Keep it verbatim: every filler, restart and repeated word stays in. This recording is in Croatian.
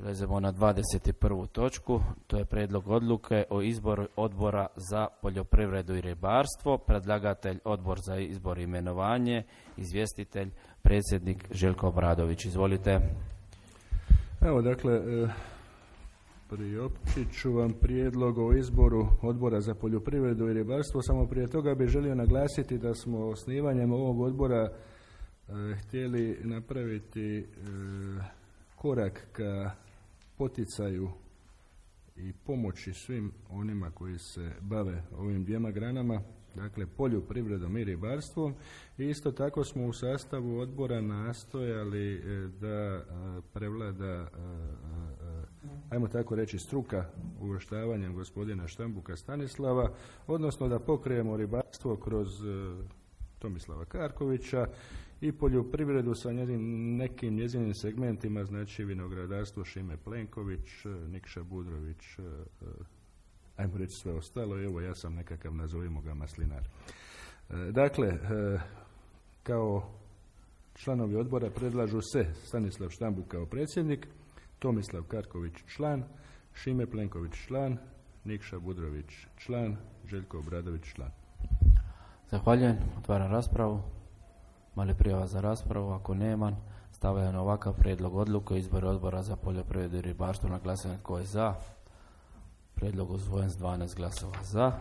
Prelazimo na dvadeset prvu točku, to je prijedlog odluke o izboru odbora za poljoprivredu i ribarstvo. Predlagatelj odbor za izbor i imenovanje, izvjestitelj predsjednik Željko Obradović. Izvolite. Evo dakle, priopćit ću vam prijedlog o izboru odbora za poljoprivredu i ribarstvo. Samo prije toga bih želio naglasiti da smo osnivanjem ovog odbora htjeli napraviti korak ka poticaju i pomoći svim onima koji se bave ovim dvijema granama, dakle poljoprivredom i ribarstvom. I isto tako smo u sastavu odbora nastojali da prevlada, ajmo tako reći, struka uvrštavanjem gospodina Štambuka Stanislava, odnosno da pokrijemo ribarstvo kroz Tomislava Karkovića i poljoprivredu sa njezin, nekim njezinim segmentima, znači vinogradarstvo Šime Plenković, Nikša Budrović, ajmo reći sve ostalo. Evo, ja sam nekakav, nazovimo ga, maslinar. Dakle, kao članovi odbora predlažu se Stanislav Štambuk kao predsjednik, Tomislav Karković član, Šime Plenković član, Nikša Budrović član, Željko Obradović član. Zahvaljujem. Otvaram raspravu. Mali prijava za raspravu? Ako nema, stavljam na ovakav prijedlog odluke o izboru odbora za poljoprivredu i ribarstvo na glasanje. Tko je za? Prijedlog usvojen s dvanaest glasova za.